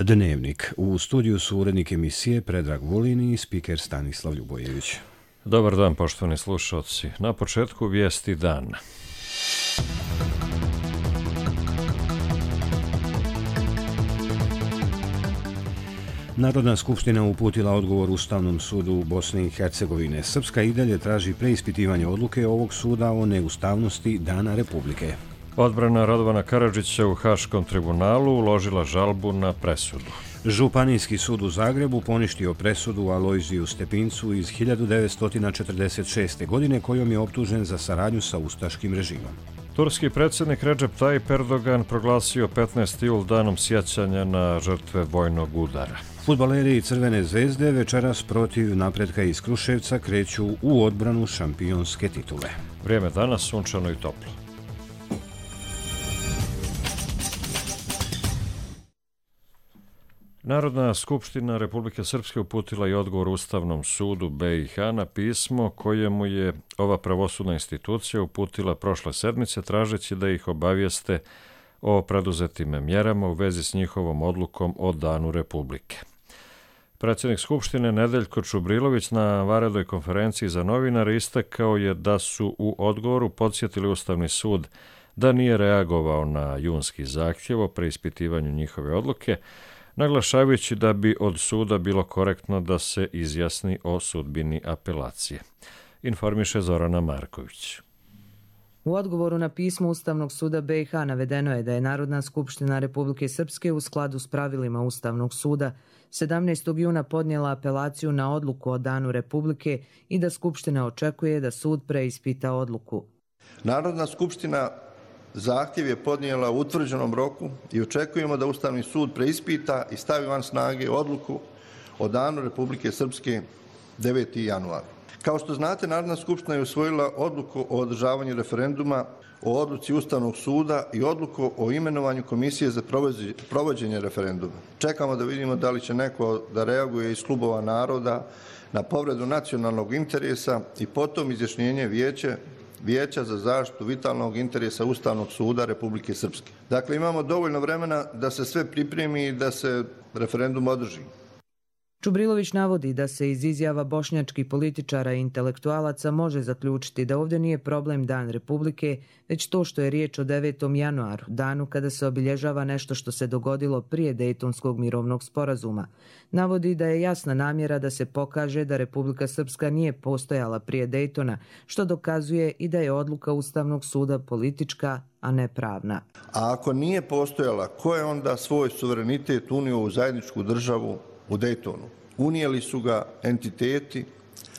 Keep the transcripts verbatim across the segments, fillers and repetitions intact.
Dnevnik. U studiju su urednik emisije Predrag Vulin i spiker Stanislav Ljubojević. Dobar dan, poštovani slušalci. Na početku vijesti dana. Narodna skupština uputila odgovor Ustavnom sudu Bosne i Hercegovine. Srpska i dalje traži preispitivanje odluke ovog suda o neustavnosti Dana Republike. Odbrana Radovana Karadžića u Haškom tribunalu uložila žalbu na presudu. Županijski sud u Zagrebu poništio presudu Alojziju Stepincu iz hiljadu devetsto četrdeset šeste. godine kojom je optužen za saradnju sa ustaškim režimom. Turski predsjednik Recep Tayyip Erdogan proglasio petnaesti jul danom sjećanja na žrtve vojnog udara. Fudbaleri Crvene zvezde večeras protiv Napretka iz Kruševca kreću u odbranu šampionske titule. Vrijeme danas sunčano i toplo. Narodna skupština Republike Srpske uputila i odgovor Ustavnom sudu B i H na pismo kojemu je ova pravosudna institucija uputila prošle sedmice tražeći da ih obavijeste o preduzetim mjerama u vezi s njihovom odlukom o Danu Republike. Predsjednik Skupštine Nedeljko Čubrilović na vanrednoj konferenciji za novinare istakao je da su u odgovoru podsjetili Ustavni sud da nije reagovao na junski zahtjev o preispitivanju njihove odluke, naglašavajući da bi od suda bilo korektno da se izjasni o sudbini apelacije. Informiše Zorana Marković. U odgovoru na pismo Ustavnog suda B i H navedeno je da je Narodna skupština Republike Srpske u skladu s pravilima Ustavnog suda sedamnaestog juna podnijela apelaciju na odluku o Danu Republike i da Skupština očekuje da sud preispita odluku. Narodna skupština zahtjev je podnijela u utvrđenom roku i očekujemo da Ustavni sud preispita i stavi van snage odluku o Danu Republike Srpske deveti januar. Kao što znate, Narodna skupština je usvojila odluku o održavanju referenduma o odluci Ustavnog suda i odluku o imenovanju komisije za provođenje referenduma. Čekamo da vidimo da li će neko da reaguje iz klubova naroda na povredu nacionalnog interesa i potom izjašnjenje vijeće Vijeća za zaštitu vitalnog interesa Ustavnog suda Republike Srpske. Dakle, imamo dovoljno vremena da se sve pripremi i da se referendum održi. Čubrilović navodi da se iz izjava bošnjačkih političara i intelektualaca može zaključiti da ovdje nije problem Dan Republike, već to što je riječ o devetom januaru, danu kada se obilježava nešto što se dogodilo prije Dejtonskog mirovnog sporazuma. Navodi da je jasna namjera da se pokaže da Republika Srpska nije postojala prije Dejtona, što dokazuje i da je odluka Ustavnog suda politička, a ne pravna. A ako nije postojala, ko je onda svoj suverenitet unio u zajedničku državu u Dejtonu? Unijeli su ga entiteti,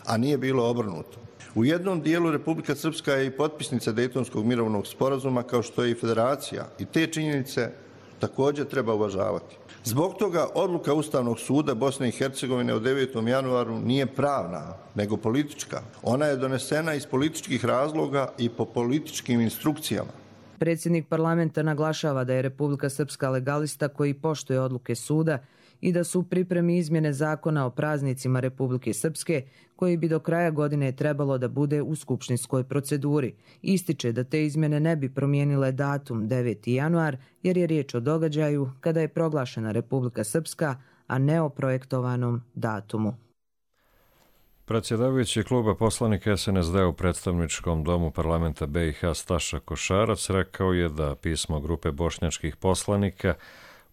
a nije bilo obrnuto. U jednom dijelu Republika Srpska je i potpisnica Dejtonskog mirovnog sporazuma, kao što je i federacija, i te činjenice također treba uvažavati. Zbog toga odluka Ustavnog suda Bosne i Hercegovine od devetom januaru nije pravna, nego politička. Ona je donesena iz političkih razloga i po političkim instrukcijama. Predsjednik parlamenta naglašava da je Republika Srpska legalista koji poštuje odluke suda i da su u pripremi izmjene zakona o praznicima Republike Srpske, koji bi do kraja godine trebalo da bude u skupštinskoj proceduri. Ističe da te izmjene ne bi promijenile datum deveti januar, jer je riječ o događaju kada je proglašena Republika Srpska, a ne o projektovanom datumu. Predsjedavajući kluba poslanika S N S D u predstavničkom domu parlamenta B i H Staša Košarac rekao je da pismo grupe bošnjačkih poslanika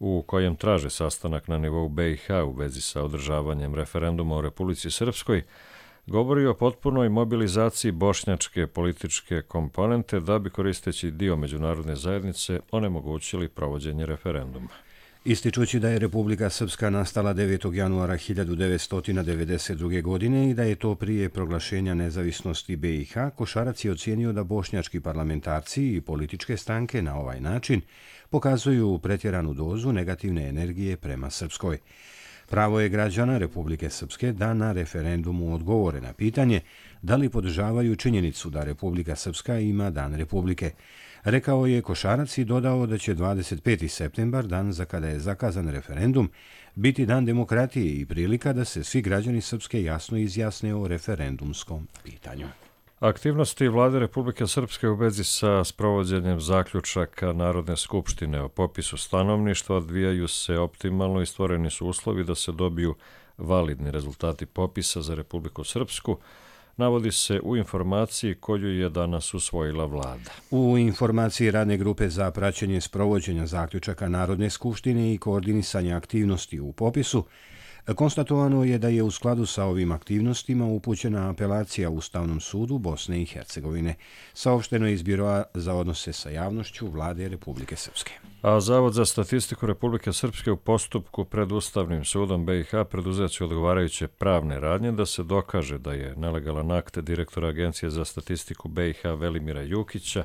u kojem traže sastanak na nivou B i H u vezi sa održavanjem referenduma u Republici Srpskoj, govori o potpunoj mobilizaciji bošnjačke političke komponente da bi, koristeći dio međunarodne zajednice, onemogućili provođenje referenduma. Ističući da je Republika Srpska nastala devetog januara hiljadu devetsto devedeset druge. godine i da je to prije proglašenja nezavisnosti B i H, Košarac je ocijenio da bošnjački parlamentarci i političke stranke na ovaj način pokazuju pretjeranu dozu negativne energije prema Srpskoj. Pravo je građana Republike Srpske da na referendumu odgovore na pitanje da li podržavaju činjenicu da Republika Srpska ima Dan Republike. Rekao je Košarac i dodao da će dvadeset peti septembar, dan za kada je zakazan referendum, biti dan demokratije i prilika da se svi građani Srpske jasno izjasne o referendumskom pitanju. Aktivnosti Vlade Republike Srpske u vezi sa sprovođenjem zaključaka Narodne skupštine o popisu stanovništva odvijaju se optimalno i stvoreni su uslovi da se dobiju validni rezultati popisa za Republiku Srpsku, navodi se u informaciji koju je danas usvojila vlada. U informaciji Radne grupe za praćenje sprovođenja zaključaka Narodne skupštine i koordinisanja aktivnosti u popisu konstatovano je da je u skladu sa ovim aktivnostima upućena apelacija Ustavnom sudu Bosne i Hercegovine. Saopšteno je iz Biroa za odnose sa javnošću Vlade Republike Srpske. A Zavod za statistiku Republike Srpske u postupku pred Ustavnim sudom B i H preduzet će odgovarajuće pravne radnje da se dokaže da je nelegalan akt direktora Agencije za statistiku B i H Velimira Jukića,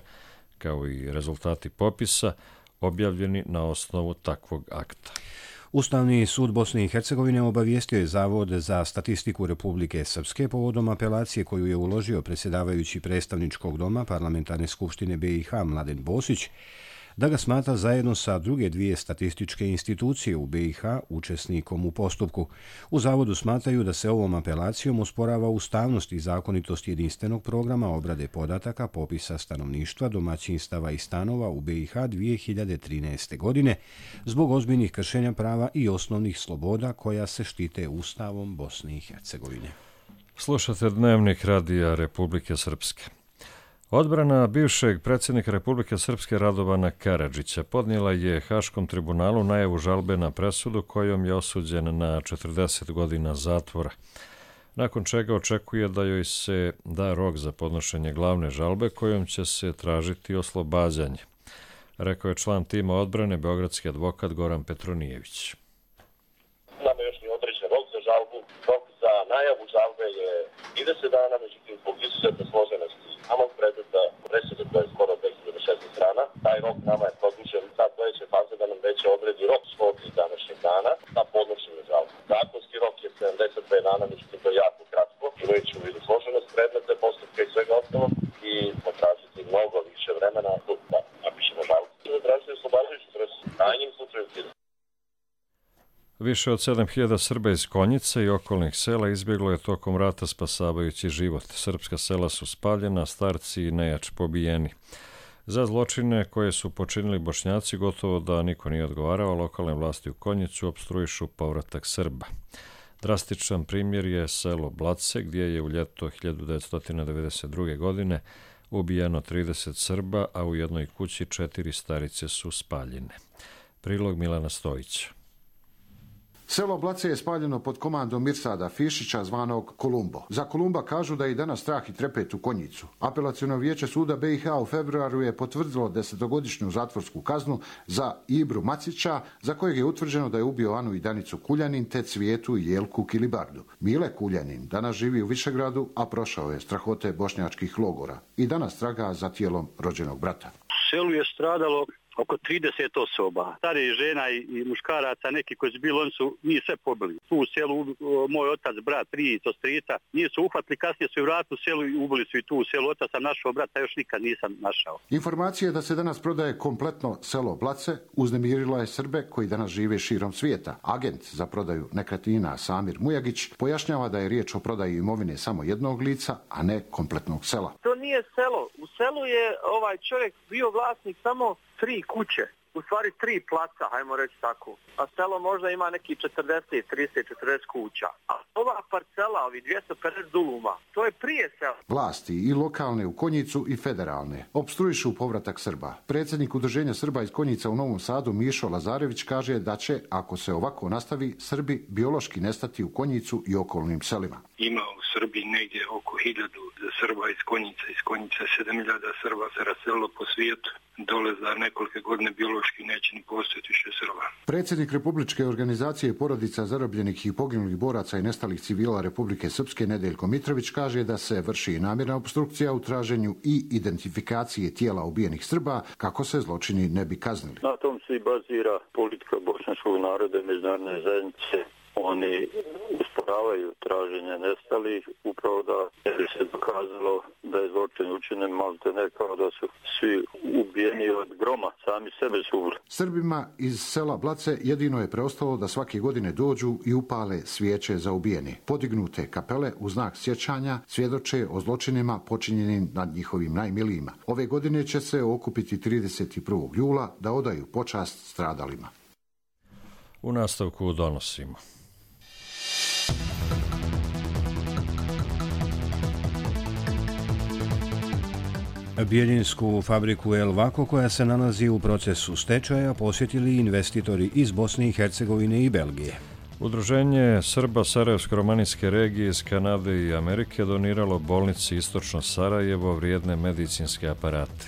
kao i rezultati popisa, objavljeni na osnovu takvog akta. Ustavni sud Bosne i Hercegovine obavijestio je Zavod za statistiku Republike Srpske povodom apelacije koju je uložio predsjedavajući predstavničkog doma Parlamentarne skupštine B i H Mladen Bosić, da ga smatra zajedno sa druge dvije statističke institucije u B i H učesnikom u postupku. U Zavodu smatraju da se ovom apelacijom osporava ustavnost i zakonitost jedinstvenog programa obrade podataka popisa stanovništva, domaćinstava i stanova u B i H dvije hiljade trinaeste. godine zbog ozbiljnih kršenja prava i osnovnih sloboda koja se štite Ustavom Bosne i Hercegovine. Slušate Dnevnik Radija Republike Srpske. Odbrana bivšeg predsjednika Republike Srpske Radovana Karadžića podnijela je Haškom tribunalu najavu žalbe na presudu kojom je osuđen na četrdeset godina zatvora, nakon čega očekuje da joj se da rok za podnošenje glavne žalbe kojom će se tražiti oslobađanje, rekao je član tima odbrane beogradski advokat Goran Petronijević. Nama još nije određen rok za žalbu. Rok za najavu žalbe je trideset dana, međutim zbog izuzetne složenosti samog predmeta presude koja je skoro dve hiljade šesnaeste strana. Taj rok nama je produžen sad sledeće faze da nam već odredi rok svog današnjeg dana za podnošenje žalbe. Zakonski rok je sedamdeset dve dana, međutim to je jako kratko. Imajući u vidu složenost predmeta, postupka i svega ostalog i potražiti mnogo više vremena da napišemo žalbu. Zatražiti oslobađajuću presudu. Krajnjim slučaju Više od sedam hiljada Srba iz Konjice i okolnih sela izbjeglo je tokom rata spasavajući život. Srpska sela su spaljena, starci i nejač pobijeni. Za zločine koje su počinili Bošnjaci gotovo da niko nije odgovarao, lokalne vlasti u Konjicu opstruišu povratak Srba. Drastičan primjer je selo Blace, gdje je u ljeto hiljadu devetsto devedeset druge. godine ubijeno trideset Srba, a u jednoj kući četiri starice su spaljene. Prilog Milana Stojića. Selo Blace je spaljeno pod komandom Mirsada Fišića, zvanog Kolumbo. Za Kolumba kažu da je i danas strah i trepet u Konjicu. Apelaciono vijeće suda B i H u februaru je potvrdilo desetogodišnju zatvorsku kaznu za Ibru Macića, za kojeg je utvrđeno da je ubio Anu i Danicu Kuljanin, te Cvijetu i Jelku Kilibardu. Mile Kuljanin danas živi u Višegradu, a prošao je strahote bošnjačkih logora i danas traga za tijelom rođenog brata. U selu je stradalo oko trideset osoba. Starih žena i, i muškaraca, neki koji su bili, oni su njih sve pobili. Tu u selu moj otac, brat, tri to strica, njih su uhvatili, kasnije su i vratili u selu i ubili su i tu u selu. Otac sam našao, brata još nikad nisam našao. Informacija da se danas prodaje kompletno selo Blace uznemirila je Srbe koji danas žive širom svijeta. Agent za prodaju nekretnina Samir Mujagić pojašnjava da je riječ o prodaji imovine samo jednog lica, a ne kompletnog sela. To nije selo. U selu je ovaj čovjek bio vlasnik samo tri kuće, u stvari tri placa, hajmo reći tako. A selo možda ima neki četrdeset, trideset, četrdeset kuća. A ova parcela, ovi dvjesto pedeset duluma, to je prije sela. Vlasti i lokalne u Konjicu i federalne opstruišu povratak Srba. Predsjednik Udruženja Srba iz Konjica u Novom Sadu Mišo Lazarević kaže da će, ako se ovako nastavi, Srbi biološki nestati u Konjicu i okolnim selima. Ima u Srbiji negdje oko hiljadu Srba iz Konjica. Iz Konjica sedam hiljada Srba se raselilo po svijetu. Dole za nekolike godine biološki neće ni postojati više Srba. Predsjednik Republičke organizacije porodica zarobljenih i poginulih boraca i nestalih civila Republike Srpske Nedeljko Mitrović kaže da se vrši namjerna opstrukcija u traženju i identifikacije tijela ubijenih Srba kako se zločini ne bi kaznili. Na tom se i bazira politika bošnjačkog naroda i međunarodne zajednice Oni usporavaju traženje nestalih, upravo da je se dokazalo da je zločin učinjen, malte ne kao da su svi ubijeni od groma, sami sebe su ubili. Srbima iz sela Blace jedino je preostalo da svake godine dođu i upale svijeće za ubijeni. Podignute kapele u znak sjećanja svjedoče o zločinima počinjenim nad njihovim najmilijima. Ove godine će se okupiti trideset prvog jula da odaju počast stradalima. U nastavku donosimo. Bijeljinsku fabriku El Vako, koja se nalazi u procesu stečaja, posjetili investitori iz Bosne i Hercegovine i Belgije. Udruženje Srba Sarajevsko-romanijske regije iz Kanade i Amerike doniralo bolnici Istočno Sarajevo vrijedne medicinske aparate.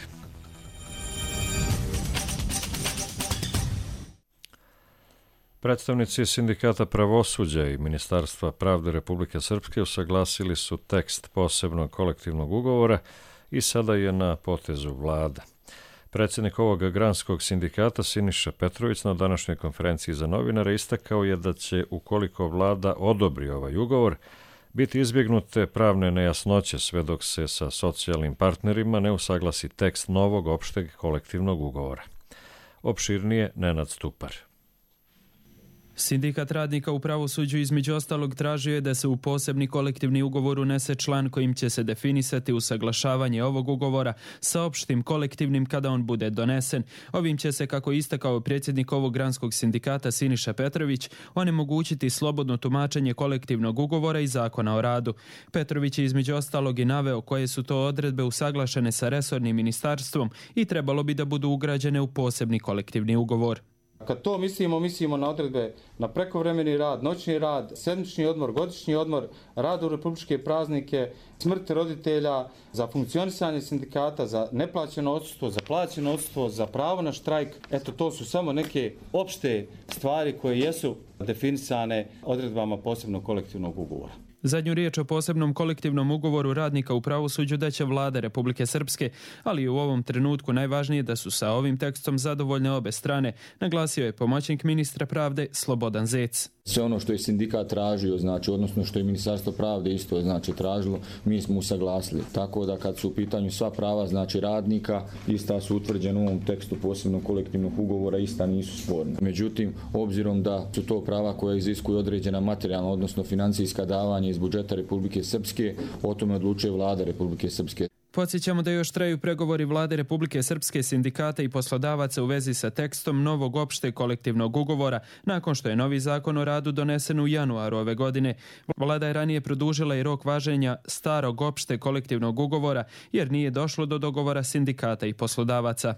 Predstavnici Sindikata pravosuđa i Ministarstva pravde Republike Srpske usaglasili su tekst posebnog kolektivnog ugovora i sada je na potezu vlada. Predsjednik ovog granskog sindikata Siniša Petrović na današnjoj konferenciji za novinare istakao je da će, ukoliko vlada odobri ovaj ugovor, biti izbjegnute pravne nejasnoće sve dok se sa socijalnim partnerima ne usaglasi tekst novog opšteg kolektivnog ugovora. Opširnije Nenad Stupar. Sindikat radnika u pravosuđu između ostalog tražio je da se u posebni kolektivni ugovor unese član kojim će se definisati usaglašavanje ovog ugovora sa opštim kolektivnim kada on bude donesen. Ovim će se, kako istakao predsjednik ovog granskog sindikata Siniša Petrović, onemogućiti slobodno tumačenje kolektivnog ugovora i zakona o radu. Petrović je između ostalog i naveo koje su to odredbe usaglašene sa resornim ministarstvom i trebalo bi da budu ugrađene u posebni kolektivni ugovor. Kad to mislimo, mislimo na odredbe na prekovremeni rad, noćni rad, sedmični odmor, godišnji odmor, rad u republičke praznike, smrt roditelja, za funkcionisanje sindikata, za neplaćeno odsustvo, za plaćeno odsustvo, za pravo na štrajk. Eto, to su samo neke opšte stvari koje jesu definisane odredbama posebnog kolektivnog ugovora. Zadnju riječ o posebnom kolektivnom ugovoru radnika u pravosuđu daće vlada Republike Srpske, ali u ovom trenutku najvažnije da su sa ovim tekstom zadovoljne obe strane, naglasio je pomoćnik ministra pravde Slobodan Zec. Sve ono što je sindikat tražio, znači, odnosno što je Ministarstvo pravde isto znači tražilo, mi smo usaglasili. Tako da kad su u pitanju sva prava, znači radnika, ista su utvrđena u ovom tekstu posebnog kolektivnog ugovora, ista nisu sporna. Međutim, obzirom da su to prava koja iziskuju određena materijalna, odnosno financijska davanja iz budžeta Republike Srpske, o tome odlučuje vlada Republike Srpske. Podsjećamo da još traju pregovori vlade Republike Srpske, sindikata i poslodavaca u vezi sa tekstom novog opšteg kolektivnog ugovora, nakon što je novi zakon o radu donesen u januaru ove godine. Vlada je ranije produžila i rok važenja starog opšteg kolektivnog ugovora, jer nije došlo do dogovora sindikata i poslodavaca.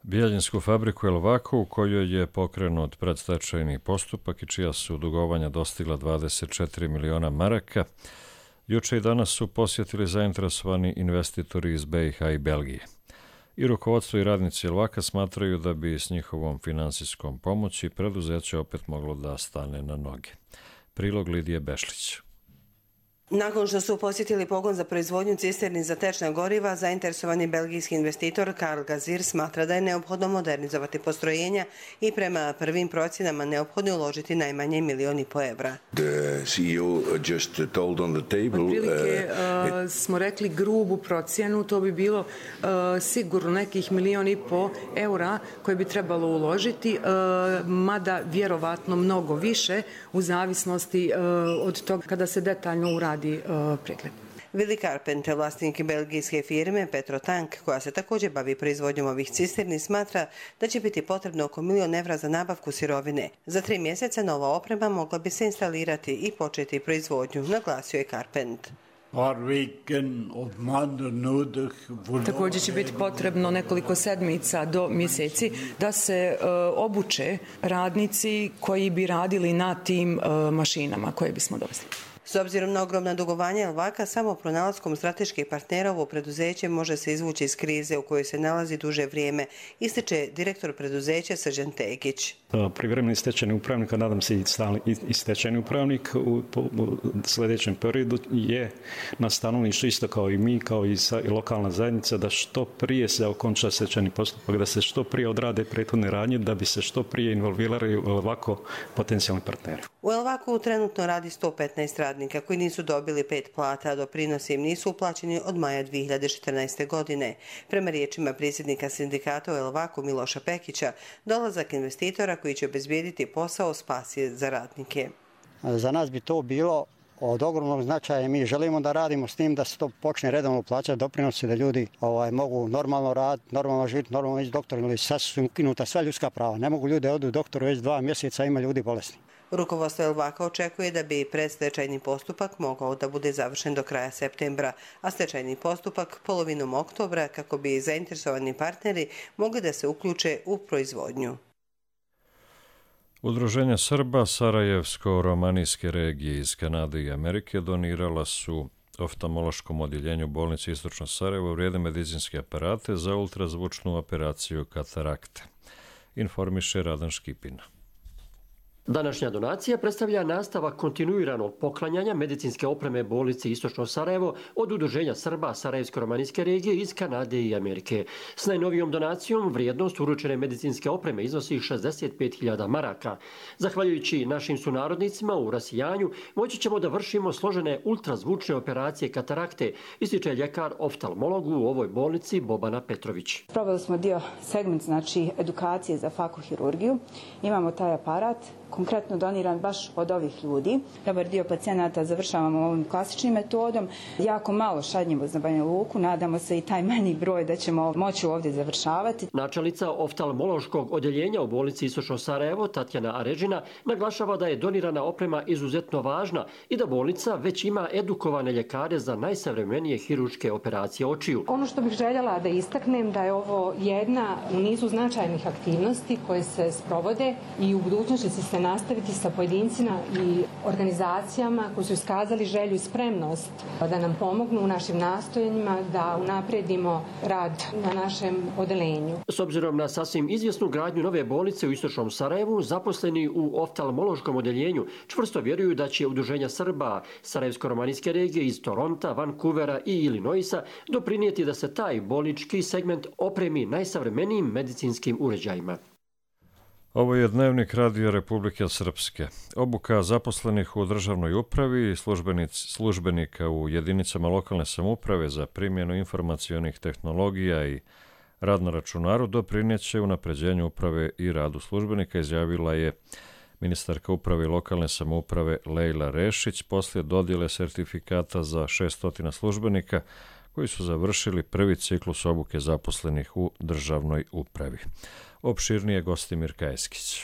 Bijeljinsku fabriku El Vako, u kojoj je pokrenut predstečajni postupak i čija su dugovanja dostigla dvadeset četiri miliona maraka, juče i danas su posjetili zainteresovani investitori iz B i H i Belgije. I rukovodstvo i radnici El Vaka smatraju da bi s njihovom finansijskom pomoći preduzeće opet moglo da stane na noge. Prilog Lidije Bešlić. Nakon što su posjetili pogon za proizvodnju cisterni za tečna goriva, zainteresovani belgijski investitor Karl Gazir smatra da je neophodno modernizovati postrojenja i prema prvim procjenama neophodno uložiti najmanje milion i po evra. Otprilike uh, smo rekli grubu procjenu, to bi bilo uh, sigurno nekih milion i po eura koje bi trebalo uložiti, uh, mada vjerovatno mnogo više u zavisnosti uh, od toga kada se detaljno uradi pregled. Willy Carpenter, vlasnik belgijske firme Petrotank, koja se također bavi proizvodnjom ovih cisterni, smatra da će biti potrebno oko milion evra za nabavku sirovine. Za tri mjeseca nova oprema mogla bi se instalirati i početi proizvodnju, naglasio je Carpenter. Također će biti potrebno nekoliko sedmica do mjeseci da se uh, obuče radnici koji bi radili na tim uh, mašinama koje bismo doveli. S obzirom na ogromna dugovanja Elvaka, samo pronalaskom strateških partnera ovo preduzeće može se izvući iz krize u kojoj se nalazi duže vrijeme, ističe direktor preduzeća Srđan Tekić. Privremeni stečajni upravnik, a nadam se i stalni i stečajni upravnik u, u sljedećem periodu je na stanovništvu isto kao i mi, kao i, sa, i lokalna zajednica, da što prije se okonča stečajni postupak, da se što prije odrade prethodne radnje, da bi se što prije involvirali u Elvaku potencijalni partneri. U Elvaku trenutno radi sto petnaest radnika koji nisu dobili pet plata, a doprinosi im nisu uplaćeni od maja dvije hiljade četrnaeste. godine. Prema riječima predsjednika sindikata u Elvaku Miloša Pekića, dolazak investitora koji će obezbijediti posao spas je za radnike. Za nas bi to bilo od ogromnog značaja. Mi želimo da radimo s tim da se to počne redovno plaćati doprinosi, da ljudi ovaj, mogu normalno raditi, normalno živjeti, normalno ići doktor, ili sad su ukinuta sva ljudska prava. Ne mogu ljudi odu doktoru već dva mjeseca, ima ljudi bolesni. Rukovodstvo Elvaka očekuje da bi predstečajni postupak mogao da bude završen do kraja septembra, a stečajni postupak polovinom oktobra kako bi zainteresovani partneri mogli da se uključe u proizvodnju. Udruženja Srba Sarajevsko-romanijske regije iz Kanade i Amerike donirala su oftalmološkom odjeljenju bolnice Istočno Sarajevo vrijedne medicinske aparate za ultrazvučnu operaciju katarakte. Informiše Radan Škipina. Današnja donacija predstavlja nastavak kontinuiranog poklanjanja medicinske opreme bolnici Istočno Sarajevo od Udruženja Srba Sarajevsko-romanijske regije iz Kanade i Amerike. S najnovijom donacijom vrijednost uručene medicinske opreme iznosi šezdeset pet hiljada maraka. Zahvaljujući našim sunarodnicima u rasijanju, moći ćemo da vršimo složene ultrazvučne operacije katarakte, ističe ljekar oftalmolog u ovoj bolnici Bobana Petrović. Probali smo dio segment, znači edukacije za fakohirurgiju. Imamo taj aparat, konkretno doniran baš od ovih ljudi. Dobar dio pacijenata završavamo ovim klasičnim metodom. Jako malo šaljimo za Banja Luku. Nadamo se i taj manji broj da ćemo moći ovdje završavati. Načelnica oftalmološkog odjeljenja u bolnici Istočno Sarajevo, Tatjana Aređina, naglašava da je donirana oprema izuzetno važna i da bolnica već ima edukovane ljekare za najsavremenije hirurške operacije očiju. Ono što bih željela da istaknem da je ovo jedna u nizu značajnih aktivnosti koje se sprovode i u budućnosti će se nastaviti sa pojedincima i organizacijama koji su iskazali želju i spremnost da nam pomognu u našim nastojanjima da unaprijedimo rad na našem odeljenju. S obzirom na sasvim izvjesnu gradnju nove bolnice u Istočnom Sarajevu, zaposleni u oftalmološkom odeljenju čvrsto vjeruju da će Udruženja Srba Sarajevsko-romanijske regije iz Toronta, Vancouvera i Illinoisa doprinijeti da se taj bolnički segment opremi najsavremenijim medicinskim uređajima. Ovo je Dnevnik Radio Republike Srpske. Obuka zaposlenih u državnoj upravi i službenika u jedinicama lokalne samouprave za primjenu informacionih tehnologija i rad na računaru doprineće unapređenju uprave i radu službenika, izjavila je ministarka uprave i lokalne samouprave Lejla Rešić poslije dodjele sertifikata za šesnaest službenika koji su završili prvi ciklus obuke zaposlenih u državnoj upravi. Opširnije Gostimir Kajeskić.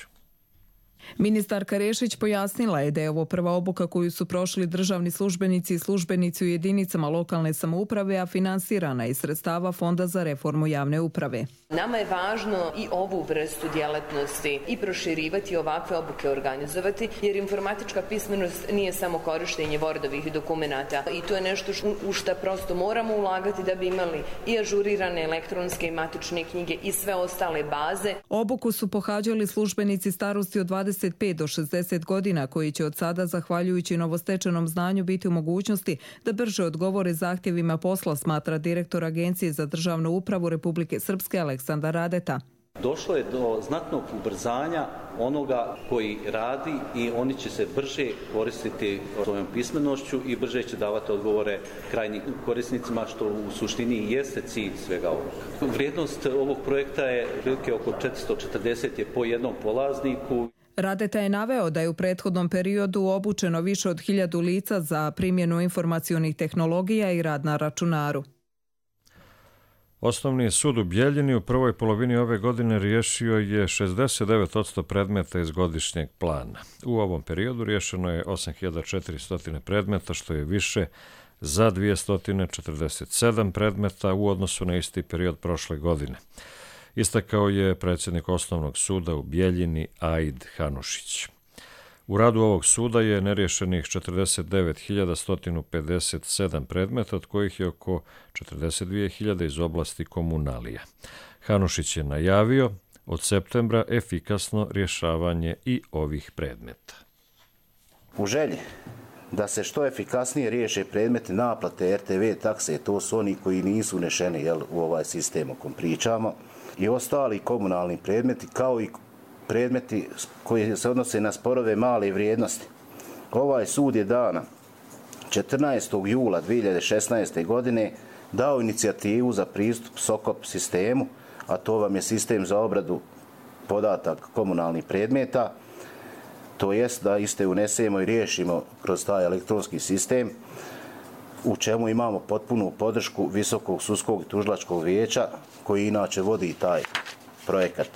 Ministarka Rešić pojasnila je da je ovo prva obuka koju su prošli državni službenici i službenici u jedinicama lokalne samouprave, a finansirana iz sredstava Fonda za reformu javne uprave. Nama je važno i ovu vrstu djelatnosti i proširivati, ovakve obuke organizovati, jer informatička pismenost nije samo korištenje Wordovih dokumenata i to je nešto u što prosto moramo ulagati da bi imali i ažurirane elektronske i matične knjige i sve ostale baze. Obuku su pohađali službenici starosti od dvadeset pet do šezdeset godina koji će od sada, zahvaljujući novostečenom znanju, biti u mogućnosti da brže odgovore zahtjevima posla, smatra direktor Agencije za državnu upravu Republike Srpske Aleksandar Radeta. Došlo je do znatnog ubrzanja onoga koji radi i oni će se brže koristiti svojom pismenošću i brže će davati odgovore krajnjim korisnicima, što u suštini i jeste cilj svega ovoga. Vrijednost ovog projekta je prilike oko četiristo četrdeset je po jednom polazniku. Radeta je naveo da je u prethodnom periodu obučeno više od hiljadu lica za primjenu informacionih tehnologija i rad na računaru. Osnovni sud u Bjeljini u prvoj polovini ove godine riješio je šezdeset devet posto predmeta iz godišnjeg plana. U ovom periodu riješeno je osam hiljada četiristo predmeta, što je više za dvjesto četrdeset sedam predmeta u odnosu na isti period prošle godine. Istakao je predsjednik Osnovnog suda u Bjeljini Aid Hanušić. U radu ovog suda je nerješenih četrdeset devet hiljada sto pedeset sedam predmeta, od kojih je oko četrdeset dvije hiljade iz oblasti komunalija. Hanušić je najavio od septembra efikasno rješavanje i ovih predmeta. U želji da se što efikasnije riješe predmeti naplate er te ve takse, to su oni koji nisu unešeni jel, u ovaj sistem o kom pričamo, i ostali komunalni predmeti, kao i predmeti koji se odnose na sporove male vrijednosti. Ovaj sud je dana četrnaestog jula dvije hiljade šesnaeste. godine dao inicijativu za pristup SOKOP sistemu, a to vam je sistem za obradu podataka komunalnih predmeta, to jest da iste unesemo i riješimo kroz taj elektronski sistem, u čemu imamo potpunu podršku Visokog sudskog i tužilačkog vijeća, koji inače vodi taj projekat.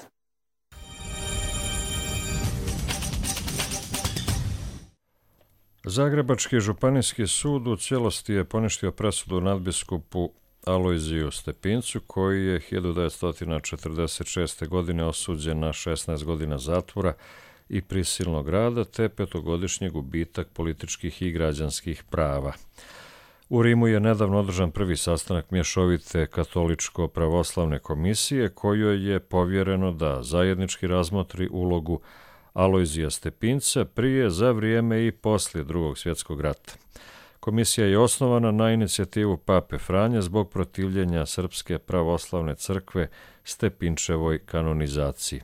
Zagrebački županijski sud u cijelosti je poništio presudu nadbiskupu Alojziju Stepincu, koji je hiljadu devetsto četrdeset šeste. godine osuđen na šesnaest godina zatvora i prisilnog rada, te petogodišnji gubitak političkih i građanskih prava. U Rimu je nedavno održan prvi sastanak mješovite katoličko-pravoslavne komisije, kojoj je povjereno da zajednički razmotri ulogu Alojzija Stepinca prije, za vrijeme i poslije Drugog svjetskog rata. Komisija je osnovana na inicijativu Pape Franje zbog protivljenja Srpske pravoslavne crkve Stepinčevoj kanonizaciji.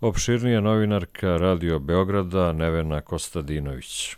Opširnije novinarka Radio Beograda Nevena Kostadinović.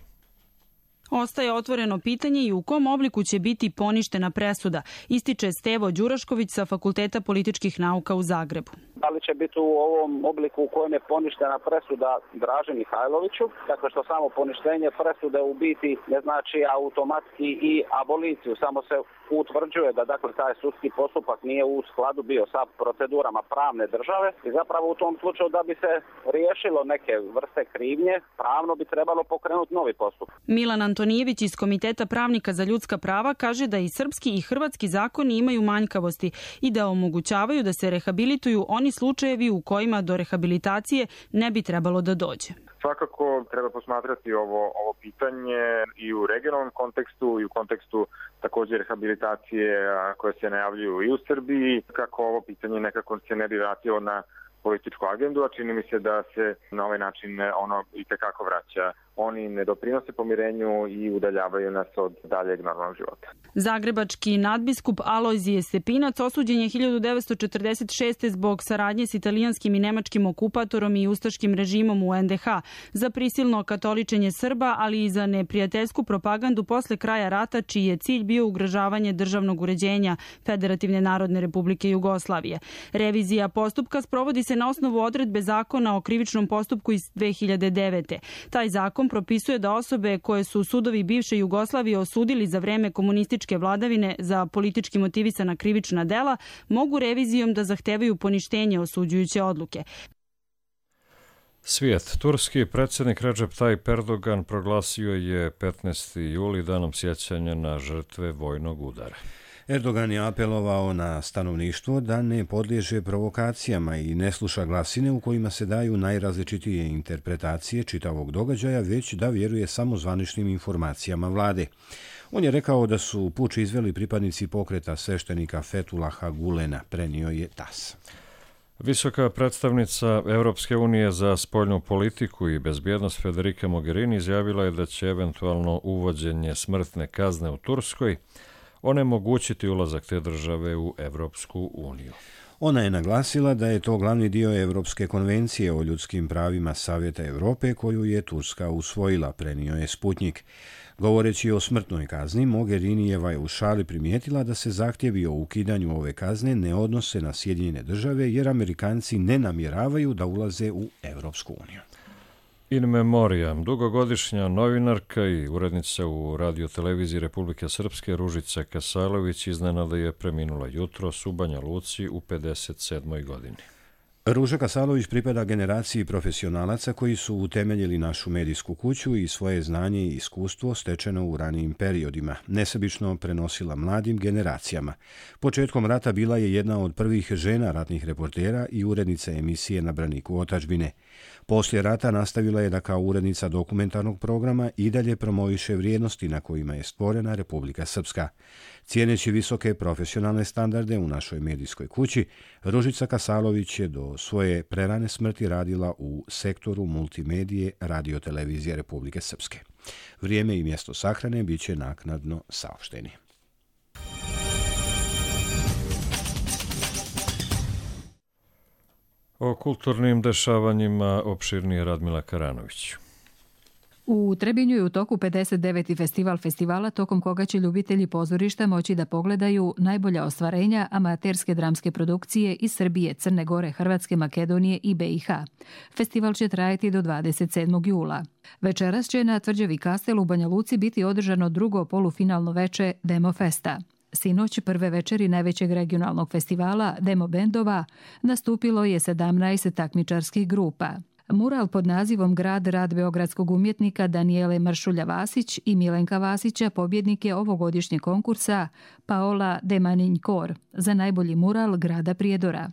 Ostaje otvoreno pitanje i u kom obliku će biti poništena presuda, ističe Stevo Đurašković sa Fakulteta političkih nauka u Zagrebu. Da li će biti u ovom obliku u kojem je poništena presuda Draži Mihajloviću, dakle što samo poništenje presude u biti ne znači automatski i aboliciju, samo se utvrđuje da dakle taj sudski postupak nije u skladu bio sa procedurama pravne države i zapravo u tom slučaju da bi se riješilo neke vrste krivnje, pravno bi trebalo pokrenuti novi postupak. Milan Antonijević iz Komiteta pravnika za ljudska prava kaže da i srpski i hrvatski zakoni imaju manjkavosti i da omogućavaju da se rehabilituju oni slučajevi u kojima do rehabilitacije ne bi trebalo da dođe. Svakako treba posmatrati ovo, ovo pitanje i u regionalnom kontekstu i u kontekstu također rehabilitacije koje se najavljuju i u Srbiji, kako ovo pitanje nekako se ne bi vratilo na političku agendu, a čini mi se da se na ovaj način ono itekako vraća. Oni ne doprinose pomirenju i udaljavaju nas od daljeg normalnog života. Zagrebački nadbiskup Alojzije Stepinac osuđen je hiljadu devetsto četrdeset šeste. zbog saradnje s italijanskim i nemačkim okupatorom i ustaškim režimom u en de ha, za prisilno katoličenje Srba, ali i za neprijateljsku propagandu posle kraja rata, čiji je cilj bio ugrožavanje državnog uređenja Federativne narodne republike Jugoslavije. Revizija postupka sprovodi se na osnovu odredbe zakona o krivičnom postupku iz dve hiljade devete. Taj zakon propisuje da osobe koje su sudovi bivše Jugoslavije osudili za vreme komunističke vladavine za politički motivisana krivična dela mogu revizijom da zahtevaju poništenje osuđujuće odluke. Svijet. Turski predsjednik Recep Tayyip Erdogan proglasio je petnaesti juli danom sjećanja na žrtve vojnog udara. Erdogan je apelovao na stanovništvo da ne podliježe provokacijama i ne sluša glasine u kojima se daju najrazličitije interpretacije čitavog događaja, već da vjeruje samo zvaničnim informacijama vlade. On je rekao da su puč izveli pripadnici pokreta sveštenika Fethulaha Gulena, prenio je tas. Visoka predstavnica Europske unije za spoljnu politiku i bezbjednost Federica Mogherini izjavila je da će eventualno uvođenje smrtne kazne u Turskoj onemogućiti ulazak te države u Europsku uniju. Ona je naglasila da je to glavni dio Europske konvencije o ljudskim pravima Savjeta Europe koju je Turska usvojila, prenio je Sputnik. Govoreći o smrtnoj kazni, Mogherinijeva je u šali primijetila da se zahtjevi o ukidanju ove kazne ne odnose na Sjedinjene države jer Amerikanci ne namjeravaju da ulaze u Europsku uniju. In memoriam, dugogodišnja novinarka i urednica u radioteleviziji Republike Srpske Ružica Kasalović iznenada je preminula jutros u Banja Luci u pedeset sedmoj godini. Ruža Kasalović pripada generaciji profesionalaca koji su utemeljili našu medijsku kuću i svoje znanje i iskustvo stečeno u ranijim periodima, nesebično prenosila mladim generacijama. Početkom rata bila je jedna od prvih žena ratnih reportera i urednica emisije Na braniku otadžbine. Poslije rata nastavila je da kao urednica dokumentarnog programa i dalje promoviše vrijednosti na kojima je stvorena Republika Srpska. Cijeneći visoke profesionalne standarde u našoj medijskoj kući, Ružica Kasalović je do svoje prerane smrti radila u sektoru multimedije radiotelevizije Republike Srpske. Vrijeme i mjesto sahrane bit će naknadno saopšteni. O kulturnim dešavanjima opširnije Radmila Karanović. U Trebinju je u toku pedeset deveti festival festivala, tokom koga će ljubitelji pozorišta moći da pogledaju najbolja ostvarenja amaterske dramske produkcije iz Srbije, Crne Gore, Hrvatske, Makedonije i be i ha. Festival će trajati do dvadeset sedmog jula. Večeras će na Tvrđavi Kastel u Banja Luci biti održano drugo polufinalno veče Demo Festa. Sinoć prve večeri najvećeg regionalnog festivala Demo bendova nastupilo je sedamnaest takmičarskih grupa. Mural pod nazivom Grad, rad beogradskog umjetnika Danijele Maršulja-Vasić i Milenka Vasića pobjednik je ovogodišnjeg konkursa Paola de Maninjkor za najbolji mural grada Prijedora.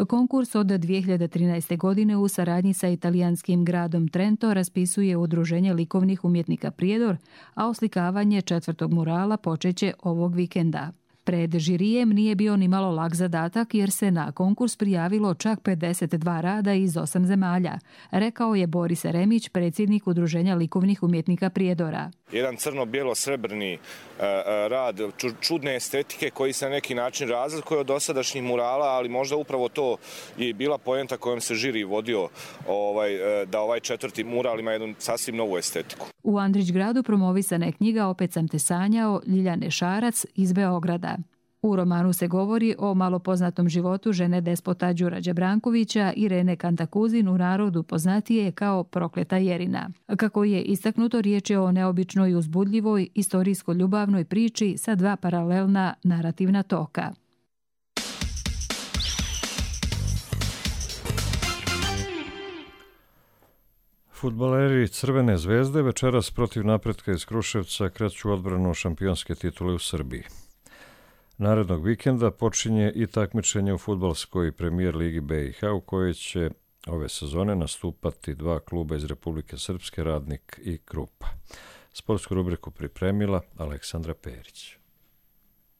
Konkurs od dvije hiljade trinaeste. godine u saradnji sa italijanskim gradom Trento raspisuje Udruženje likovnih umjetnika Prijedor, a oslikavanje četvrtog murala počeće ovog vikenda. Pred žirijem nije bio ni malo lak zadatak jer se na konkurs prijavilo čak pedeset dva rada iz osam zemalja, rekao je Boris Remić, predsjednik Udruženja likovnih umjetnika Prijedora. Jedan crno-bijelo-srebrni uh, rad čudne estetike koji se na neki način razlikuje od dosadašnjih murala, ali možda upravo to je bila poenta kojom se žiri vodio ovaj, da ovaj četvrti mural ima jednu sasvim novu estetiku. U Andrićgradu promovisana je knjiga Opet sam te sanjao Ljiljane Šarac iz Beograda. U romanu se govori o malopoznatom životu žene despota Đurađa Brankovića, Irene Kantakuzin, u narodu poznatije kao Prokleta Jerina. Kako je istaknuto, riječ je o neobičnoj, uzbudljivoj, istorijsko-ljubavnoj priči sa dva paralelna narativna toka. Fudbaleri Crvene zvezde večeras protiv Napretka iz Kruševca kreću odbranu šampionske titule u Srbiji. Narednog vikenda počinje i takmičenje u fudbalskoj premijer ligi be i ha u kojoj će ove sezone nastupati dva kluba iz Republike Srpske, Radnik i Krupa. Sportsku rubriku pripremila Aleksandra Perić.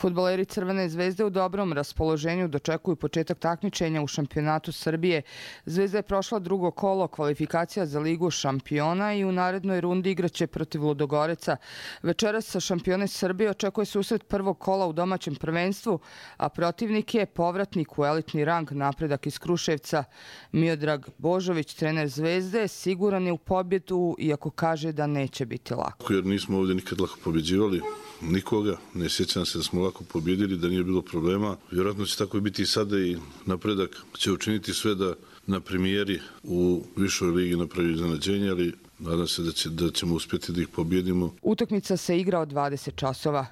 Fudbaleri Crvene zvezde u dobrom raspoloženju dočekuju početak takmičenja u šampionatu Srbije. Zvezda je prošla drugo kolo kvalifikacija za ligu šampiona i u narednoj rundi igraće protiv Ludogoreca. Večeras sa šampione Srbije očekuje susret prvog kola u domaćem prvenstvu, a protivnik je povratnik u elitni rang Napredak iz Kruševca. Miodrag Božović, trener Zvezde, siguran je u pobjedu, iako kaže da neće biti lako. Jer nismo ovdje nikad lako pobjeđivali nikoga, ne sjećam se da smo lako pobjedili, da nije bilo problema. Vjerojatno će tako biti i sada i Napredak će učiniti sve da na premijeri u višoj ligi napravi iznenađenje, ali nadam se da, će, da ćemo uspjeti da ih pobjedimo. Utakmica se igra od dvadeset časova.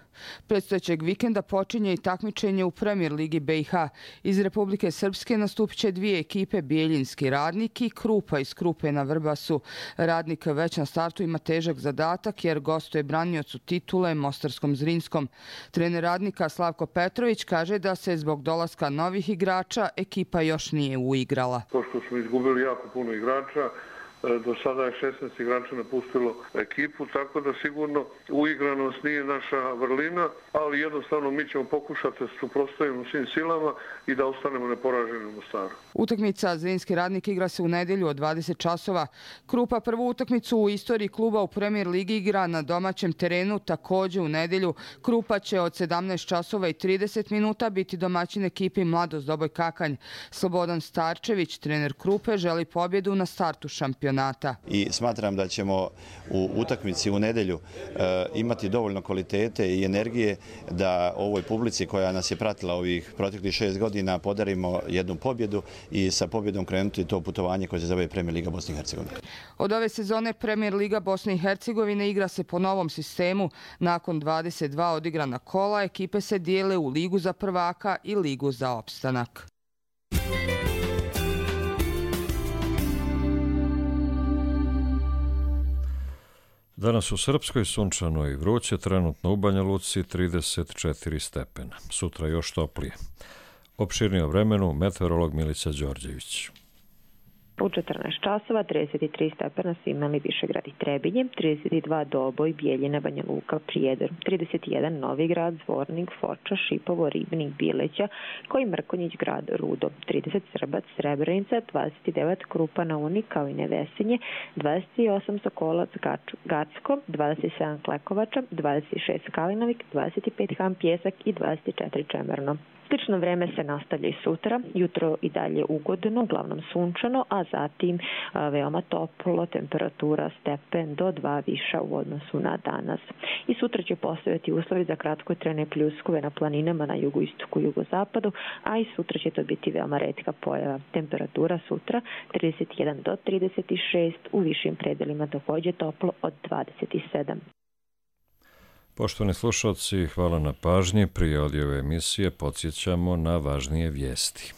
Predstojećeg vikenda počinje i takmičenje u Premier ligi be i ha. Iz Republike Srpske nastupit će dvije ekipe, Bijeljinski Radnik i Krupa iz Krupe na Vrbasu. Radnik već na startu ima težak zadatak jer gostuje braniocu titule Mostarskom Zrinskom. Trener Radnika Slavko Petrović kaže da se zbog dolaska novih igrača ekipa još nije uigrala. Pošto smo izgubili jako puno igrača, do sada je šesnaest igrača napustilo ekipu, tako da sigurno uigranost nije naša vrlina, ali jednostavno mi ćemo pokušati da se suprotstavimo svim silama i da ostanemo neporaženi u Mostaru. Utakmica Zrinski Radnik igra se u nedjelju od dvadeset časova. Krupa prvu utakmicu u istoriji kluba u Premier ligi igra na domaćem terenu također u nedjelju. Krupa će od sedamnaest časova i trideset minuta biti domaćin ekipi Mladost Doboj Kakanj. Slobodan Starčević, trener Krupe, želi pobjedu na startu šampionata. I smatram da ćemo u utakmici u nedjelju e, imati dovoljno kvalitete i energije da ovoj publici koja nas je pratila ovih proteklih šest godina podarimo jednu pobjedu i sa pobjedom krenuti to putovanje koje se zove Premier liga Bosne i Hercegovine. Od ove sezone Premier liga Bosne i Hercegovine igra se po novom sistemu. Nakon dvadeset dva odigrana kola, ekipe se dijele u ligu za prvaka i ligu za opstanak. Danas u Srpskoj sunčano i vruće, trenutno u Banja Luci trideset četiri stepena. Sutra još toplije. Opširnije o vremenu meteorolog Milica Đorđević. U četrnaest časova trideset tri stepena su imali Višegrad i Trebinje, trideset dva Doboj, Bijeljina, Banja Luka, Prijedor, trideset jedan Novigrad, Zvornik, Foča, Šipovo, Ribnik, Bileća, koji Mrkonjić, Grad, Rudo, trideset Srbac, Srebrenica, dvadeset devet Krupa na Uni, kao i Nevesinje, dvadeset osam Sokolac, Gacko, dvadeset sedam Klekovača, dvadeset šest Kalinovik, dvadeset pet Han Pjesak i dvadeset četiri Čemerno. Slično vreme se nastavlja i sutra, jutro i dalje ugodno, uglavnom sunčano, a zatim a, veoma toplo, temperatura stepen do dva viša u odnosu na danas. I sutra će postojati uslovi za kratkotrajne pljuskove na planinama na jugoistoku i jugozapadu, a i sutra će to biti veoma retka pojava. Temperatura sutra trideset jedan do trideset šest, u višim predelima takođe toplo od dvadeset sedam. Poštovani slušalci, hvala na pažnji. Prije ove emisije podsjećamo na važnije vijesti.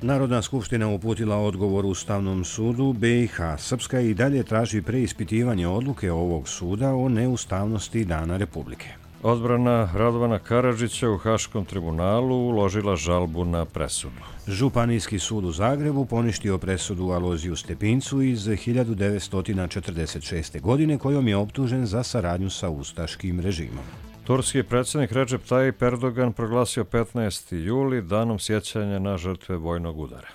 Narodna skupština uputila odgovor Ustavnom sudu B i H. Srpska i dalje traži preispitivanje odluke ovog suda o neustavnosti Dana Republike. Odbrana Radovana Karadžića u Haškom tribunalu uložila žalbu na presudu. Županijski sud u Zagrebu poništio presudu Alojziju Stepincu iz hiljadu devetsto četrdeset šeste. godine kojom je optužen za saradnju sa ustaškim režimom. Turski predsjednik Recep Tayyip Erdogan proglasio petnaesti juli danom sjećanja na žrtve vojnog udara.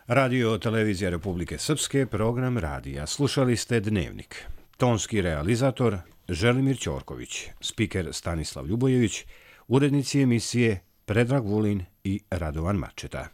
Radio Televizija Republike Srpske, program radija. Slušali ste Dnevnik. Tonski realizator Želimir Ćorković, spiker Stanislav Ljubojević, urednici emisije Predrag Vulin i Radovan Mačeta.